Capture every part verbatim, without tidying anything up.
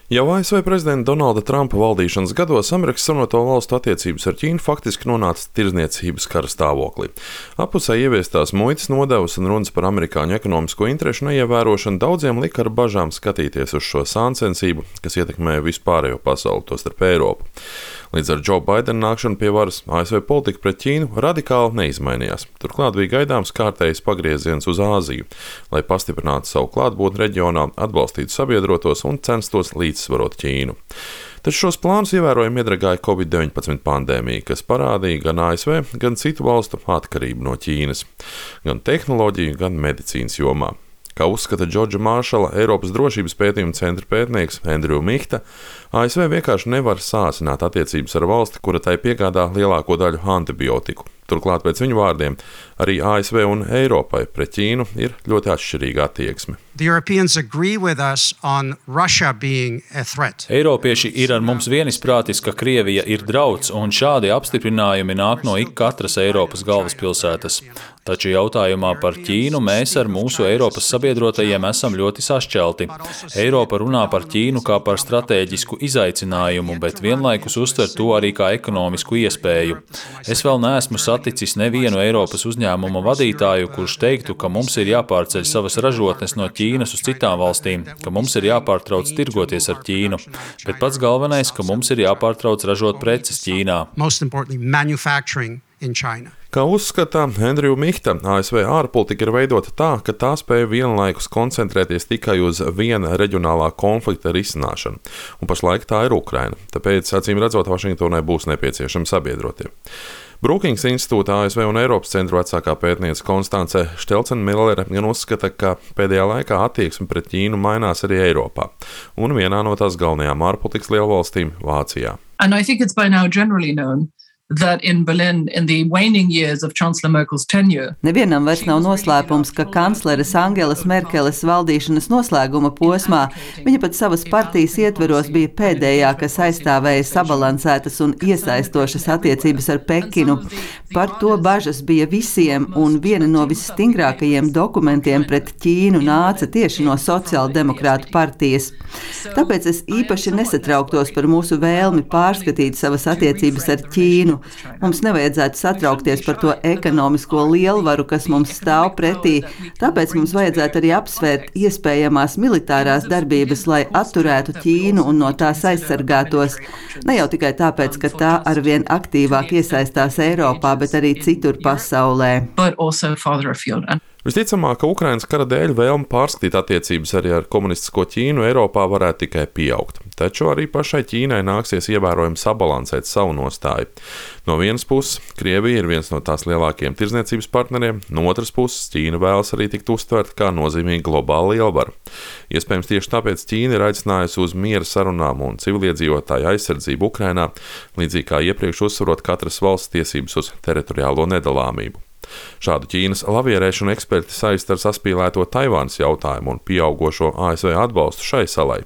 Jau A S V prezidenta Donalda Trumpa valdīšanas gados Amerikas Savienoto Valstu attiecības ar Ķīnu faktiski nonāca tirdzniecības kara stāvoklī. Appusē ieviestās muitas nodevas un runas par amerikāņu ekonomisko interešu neievērošanu daudziem lika ar bažām skatīties uz šo sāncensību, kas ietekmē vispārējo pasauli, tostarp Eiropu. Līdz ar Joe Bidena nākšanu pie varas A S V politika pret Ķīnu radikāli neizmainījās. Turklāt bija gaidāms kārtējs pagrieziens uz Āziju, lai pastiprinātu savu klātbūtni reģionā, atbalstītu sabiedrotos un censtos līdzsvarot Ķīnu. Taču šos plānus ievērojami iedragāja covid deviņpadsmit pandēmija, kas parādīja gan A S V, gan citu valstu atkarību no Ķīnas, gan tehnoloģiju, gan medicīnas jomā. Kā uzskata Džordža Māršala, Eiropas drošības pētījuma centra pētnieks Andrew Mihta, A S V vienkārši nevar sāsināt attiecības ar valsti, kura tai piegādā lielāko daļu antibiotiku. Turklāt, pēc viņu vārdiem, arī A S V un Eiropai pret Ķīnu ir ļoti atšķirīga attieksme. Eiropieši ir ar mums vienisprātis, ka Krievija ir drauds, un šādi apstiprinājumi nāk no ik katras Eiropas galvaspilsētas. Taču jautājumā par Ķīnu mēs ar mūsu Eiropas sabiedrotajiem esam ļoti sašķelti. Eiropa runā par Ķīnu kā par stratēģisku izaicinājumu, bet vienlaikus uztver to arī kā ekonomisku iespēju. Es vēl neesmu saticis nevienu Eiropas uzņēmuma vadītāju, kurš teiktu, ka mums ir jāpārceļ savas ražotnes no Ķīnas uz citām valstīm, ka mums ir jāpārtrauc tirgoties ar Ķīnu, bet pats galvenais, ka mums ir jāpārtrauc ražot preces Ķīnā. Kā uzskata Andrew Mihta, A S V ārpolitika ir veidota tā, ka tā spēj vienlaikus koncentrēties tikai uz viena reģionālā konflikta risināšanu, un pašlaik tā ir Ukraina, tāpēc, acīm redzot, Vašingtonai būs nepieciešami sabiedrotie. Brookings institūta A S V un Eiropas centru vecākā pētniece Konstance Štelcen-Millere gan uzskata, ka pēdējā laikā attieksme pret Ķīnu mainās arī Eiropā, un vienā no tās galvenajām ārpolitikas lielvalstīm – Vācijā. And I think it's by now generally known that in Berlin, in the waning years of Chancellor Merkel's tenure, Nevienam vairs nav noslēpums, ka kancleres Angelas Merkeles valdīšanas noslēguma posmā viņa pat savas partijas ietveros bija pēdējā, kas aizstāvēja sabalansētas un iesaistošas attiecības ar Pekinu. Par to bažas bija visiem, un viena no visstingrākajiem dokumentiem pret Ķīnu nāca tieši no sociāldemokrātu partijas. Tāpēc es īpaši nesatrauktos par mūsu vēlmi pārskatīt savas attiecības ar Ķīnu. Mums nevajadzētu satraukties par to ekonomisko lielvaru, kas mums stāv pretī, tāpēc mums vajadzētu arī apsvērt iespējamās militārās darbības, lai atturētu Ķīnu un no tās aizsargātos. Ne jau tikai tāpēc, ka tā arvien aktīvāk iesaistās Eiropā, bet arī citur pasaulē. Visticamāk, ka Ukrainas kara dēļ vēlme pārskatīt attiecības arī ar komunistisko Ķīnu Eiropā varētu tikai pieaugt. Taču arī pašai Ķīnai nāksies ievērojami sabalansēt savu nostāju. No vienas puses, Krievija ir viens no tās lielākajiem tirdzniecības partneriem, no otras puses, Ķīna vēlas arī tikt uztverta kā nozīmīga globāla lielvara. Iespējams, tieši tāpēc Ķīna ir aicinājusi uz miera sarunām un civiliedzīvotāju aizsardzību Ukrainā, līdzīgi kā iepriekš uzsverot katras valsts tiesības uz teritoriālo nedalāmību. Šādu Ķīnas lavierēšanu eksperti saista ar saspīlēto Taivānas jautājumu un pieaugošo A S V atbalstu šai salai.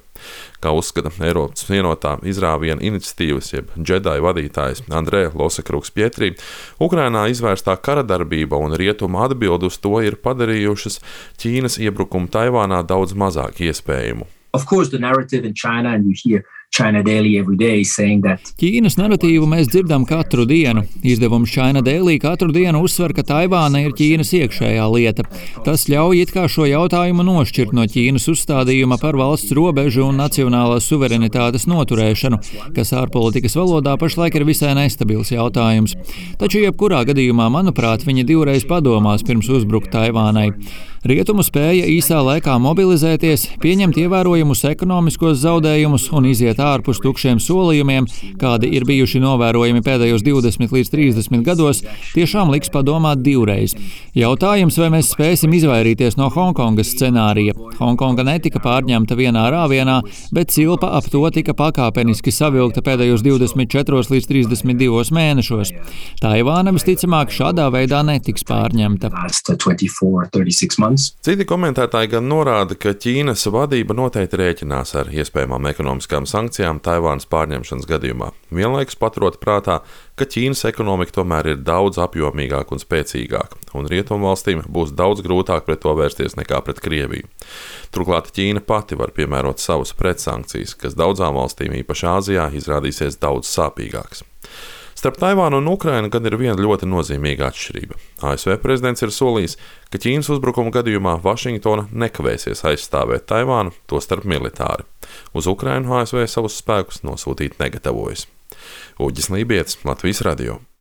Kā uzskata Eiropas vienotā izrāviena iniciatīvas, jeb Džedai vadītājs Andrē Losakruks-Pietrī, Ukrainā izvērstā kara darbība un rietumu atbildi uz to ir padarījušas Ķīnas iebrukumu Taivānā daudz mazāk iespējamu. Of course, the narrative in China, and you hear China Daily every day saying that Ķīnas naratīvu mēs dzirdam katru dienu. Izdevums China Daily katru dienu uzsver, ka Taivāna ir Ķīnas iekšējā lieta. Tas ļauj it kā šo jautājumu nošķirt no Ķīnas uzstādījuma par valsts robežu un nacionālās suverenitātes noturēšanu, kas ārpolitikas valodā pašlaik ir visai nestabils jautājums. Taču jebkurā gadījumā, manuprāt, viņi divreiz padomās pirms uzbrukt Taivānai. Rietumu spēja īsā laikā mobilizēties, pieņemt ievērojumus ekonomiskos zaudējumus un iziet ārpus tukšiem solījumiem, kādi ir bijuši novērojami pēdējos divdesmit līdz trīsdesmit gados, tiešām liks padomāt divreiz. Jautājums, vai mēs spēsim izvairīties no Hongkongas scenārija. Hongkonga netika pārņemta vienā rāvienā, bet cilpa ap to tika pakāpeniski savilkta pēdējos divdesmit četros līdz trīsdesmit divos mēnešos. Taivāna visticamāk šādā veidā netiks pārņemta. Citi komentētāji gan norāda, ka Ķīnas vadība noteikti rēķinās ar iespējamām ekonomiskām sankcijām sankcijām Taivānas pārņemšanas gadījumā, vienlaikus paturot prātā, ka Ķīnas ekonomika tomēr ir daudz apjomīgāka un spēcīgāka, un rietumvalstīm būs daudz grūtāk pret to vērsties nekā pret Krieviju. Turklāt Ķīna pati var piemērot savus pretsankcijas, kas daudzām valstīm, īpaši Āzijā, izrādīsies daudz sāpīgākas. Starp Taivānu un Ukrainu gan ir viena ļoti nozīmīga atšķirība. A S V prezidents ir solījis, ka Ķīnas uzbrukuma gadījumā Vašingtona nekavēsies aizstāvēt Taivānu, tostarp militāri. Uz Ukrainu A S V savus spēkus nosūtīt negatavojas. Uģis Lībietis, Latvijas radio.